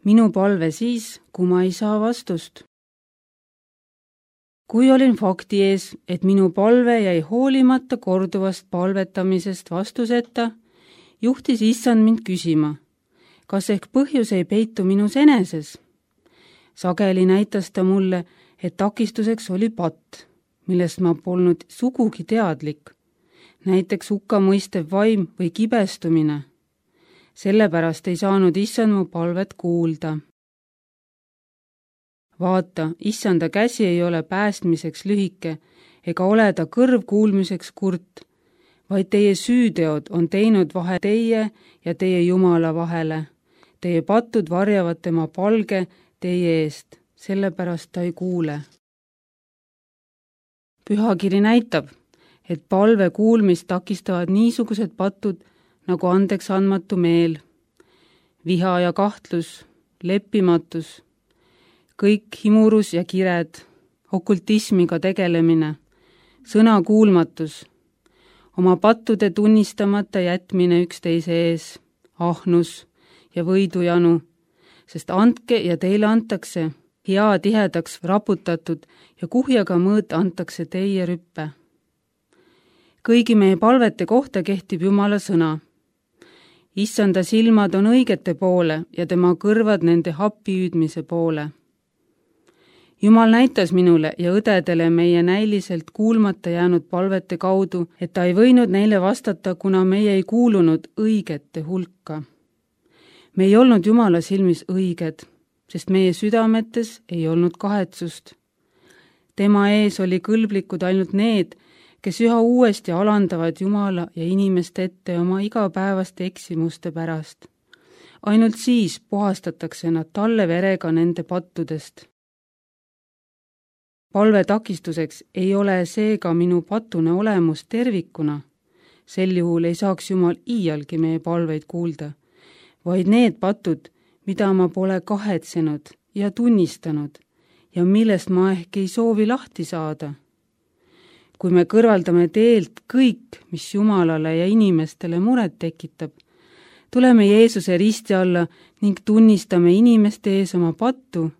Minu palve siis, kui ma ei saa vastust. Kui olin fakti ees, et minu palve jäi hoolimata korduvast palvetamisest vastuseta, juhtis Issand mind küsima, kas ehk põhjus ei peitu minus eneses. Sageli näitas ta mulle, et takistuseks oli patt, millest ma polnud sugugi teadlik, näiteks hukkamõistev vaim või kibestumine. Sellepärast ei saanud Issand mu palvet kuulda. Vaata, Issanda käsi ei ole päästmiseks lühike ega ole ta kõrv kuulmiseks kurt, vaid teie süüteod on teinud vahe teie ja teie Jumala vahele. Teie patud varjavad tema palge teie eest, sellepärast ta ei kuule. Pühakiri näitab, et palve kuulmist takistavad niisugused patud nagu andeks andmatu meel, viha ja kahtlus, leppimatus, kõik himurus ja kired, okultismiga tegelemine, sõna kuulmatus, oma pattude tunnistamata jätmine üksteise ees, ahnus ja võidujanu, sest andke ja teile antakse, hea tihedaks raputatud ja kuhjaga mõõt antakse teie rüppe. Kõigi meie palvete kohta kehtib Jumala sõna. Issanda silmad on õigete poole ja tema kõrvad nende happihüüdmise poole. Jumal näitas minule ja õdedele meie näiliselt kuulmata jäänud palvete kaudu, et ta ei võinud neile vastata, kuna meie ei kuulunud õigete hulka. Me ei olnud Jumala silmis õiged, sest meie südametes ei olnud kahetsust. Tema ees oli kõlblikud ainult need, kes üha uuesti alandavad Jumala ja inimeste ette oma igapäevaste eksimuste pärast. Ainult siis puhastatakse nad talle verega nende pattudest. Palve takistuseks ei ole seega minu patune olemus tervikuna. Sel juhul ei saaks Jumal iialgi meie palveid kuulda, vaid need patud, mida ma pole kahetsenud ja tunnistanud ja millest ma ehk ei soovi lahti saada. Kui me kõrvaldame teelt kõik, mis Jumalale ja inimestele muret tekitab, tuleme Jeesuse risti alla ning tunnistame inimeste ees oma pattu,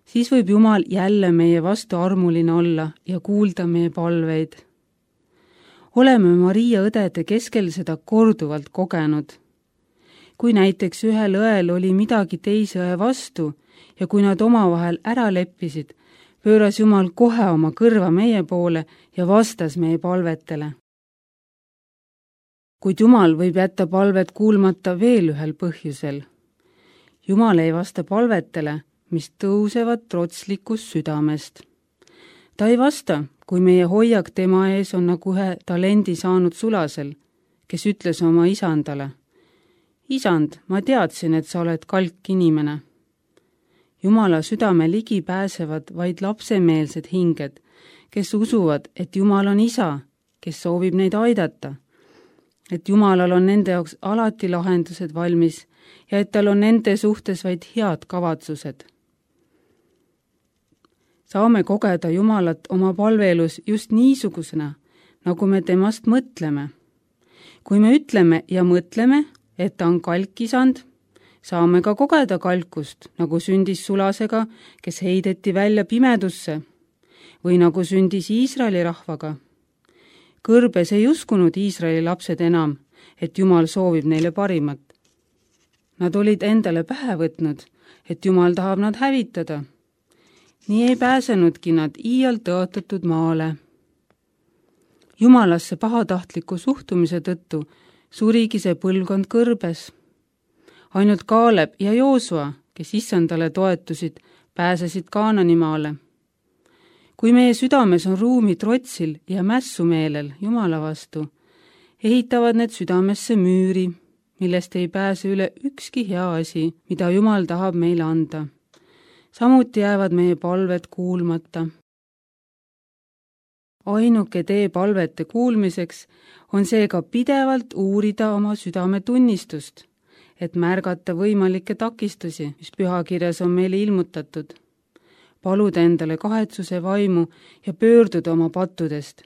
siis võib Jumal jälle meie vastu armuline olla ja kuulda meie palveid. Oleme Maria õdede keskel seda korduvalt kogenud. Kui näiteks ühel õel oli midagi teise õe vastu ja kui nad omavahel ära leppisid, pööras Jumal kohe oma kõrva meie poole ja vastas meie palvetele. Kuid Jumal võib jätta palvet kuulmata veel ühel põhjusel. Jumal ei vasta palvetele, mis tõusevad trotslikust südamest. Ta ei vasta, kui meie hoiak tema ees on nagu ühe talendi saanud sulasel, kes ütles oma isandale, Isand, ma teadsin, et sa oled kalk inimene. Jumala südame ligi pääsevad vaid lapsemeelsed hinged, kes usuvad, et Jumal on isa, kes soovib neid aidata, et Jumalal on nende jaoks alati lahendused valmis ja et tal on nende suhtes vaid head kavatsused. Saame kogeda Jumalat oma palveelus just niisugusena, nagu me temast mõtleme. Kui me ütleme ja mõtleme, et ta on kalkisand, saame ka kogeda kalkust, nagu sündis Sulasega, kes heideti välja pimedusse, või nagu sündis Iisraeli rahvaga. Kõrbes ei uskunud Iisraeli lapsed enam, et Jumal soovib neile parimat. Nad olid endale pähe võtnud, et Jumal tahab nad hävitada. Nii ei pääsenudki nad iial tõotatud maale. Jumalasse pahatahtliku suhtumise tõttu surigi see põlvkond kõrbes. Ainult Kaaleb ja Joosua, kes Issandale toetusid, pääsesid Kaananimaale. Kui meie südames on ruumi trotsil ja mässumeelel Jumala vastu, ehitavad need südamesse müüri, millest ei pääse üle ükski hea asi, mida Jumal tahab meile anda. Samuti jäävad meie palved kuulmata. Ainuke tee palvete kuulmiseks on seega pidevalt uurida oma südametunnistust, et märgata võimalikke takistusi, mis pühakirjas on meile ilmutatud. Paluda endale kahetsuse vaimu ja pöörduda oma pattudest.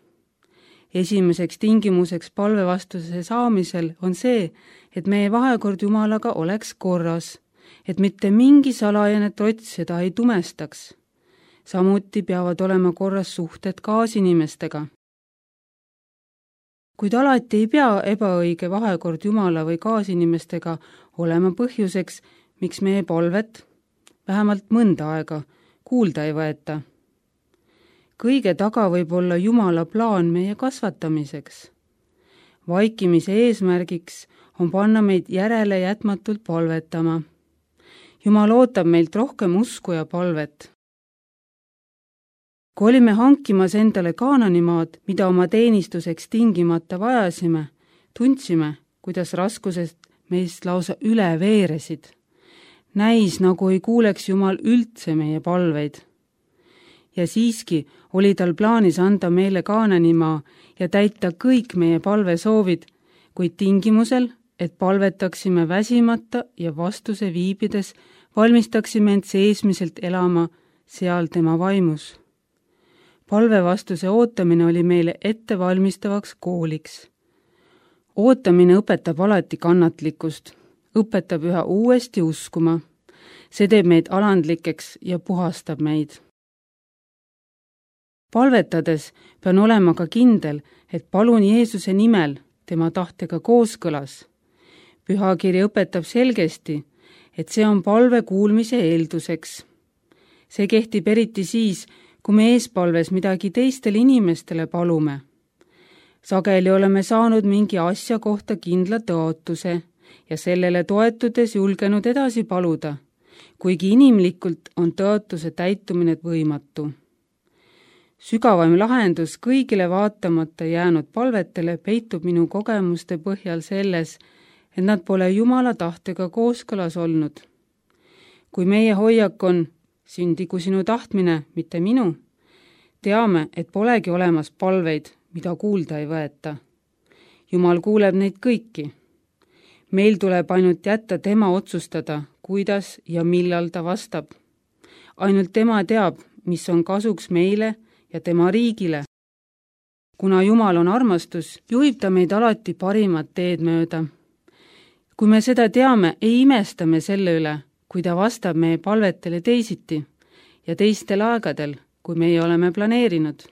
Esimeseks tingimuseks palvevastuse saamisel on see, et meie vahekord Jumalaga oleks korras et mitte mingi salajane trots seda ei tumestaks. Samuti peavad olema korras suhted kaasinimestega. Kuid alati ei pea ebaõige vahekord Jumala või kaasinimestega olema põhjuseks, miks meie palvet, vähemalt mõnda aega, kuulda ei võeta. Kõige taga võib olla Jumala plaan meie kasvatamiseks. Vaikimise eesmärgiks on panna meid järele jätmatult palvetama. Jumal ootab meilt rohkem usku ja palvet. Kui olime hankimas endale Kaananimaad, mida oma teenistuseks tingimata vajasime, tundsime, kuidas raskusest meist lausa üle veeresid. Näis, nagu ei kuuleks Jumal üldse meie palveid. Ja siiski oli tal plaanis anda meile Kaananimaa ja täita kõik meie palvesoovid, kuid tingimusel, et palvetaksime väsimata ja vastuse viibides valmistaksime end seesmiselt elama seal tema vaimus. Palvevastuse ootamine oli meile ettevalmistavaks kooliks. Ootamine õpetab alati kannatlikkust, õpetab üha uuesti uskuma. See teeb meid alandlikeks ja puhastab meid. Palvetades pean olema ka kindel, et palun Jeesuse nimel tema tahtega kooskõlas. Pühakiri õpetab selgesti, et see on palve kuulmise eelduseks. See kehtib eriti siis, kui me eespalves midagi teistele inimestele palume. Sageli oleme saanud mingi asja kohta kindla tõotuse ja sellele toetudes julgenud edasi paluda, kuigi inimlikult on tõotuse täitumine võimatu. Sügavaim lahendus kõigile vaatamata jäänud palvetele peitub minu kogemuste põhjal selles, et nad pole Jumala tahtega kooskõlas olnud. Kui meie hoiak on sündigu sinu tahtmine, mitte minu, teame, et polegi olemas palveid, mida kuulda ei võeta. Jumal kuuleb neid kõiki. Meil tuleb ainult jätta tema otsustada, kuidas ja millal ta vastab. Ainult tema teab, mis on kasuks meile ja tema riigile. Kuna Jumal on armastus, juhib ta meid alati parimat teed mööda. Kui me seda teame, ei imesta me selle üle, kui ta vastab meie palvetele teisiti ja teistel aegadel, kui meie oleme planeerinud.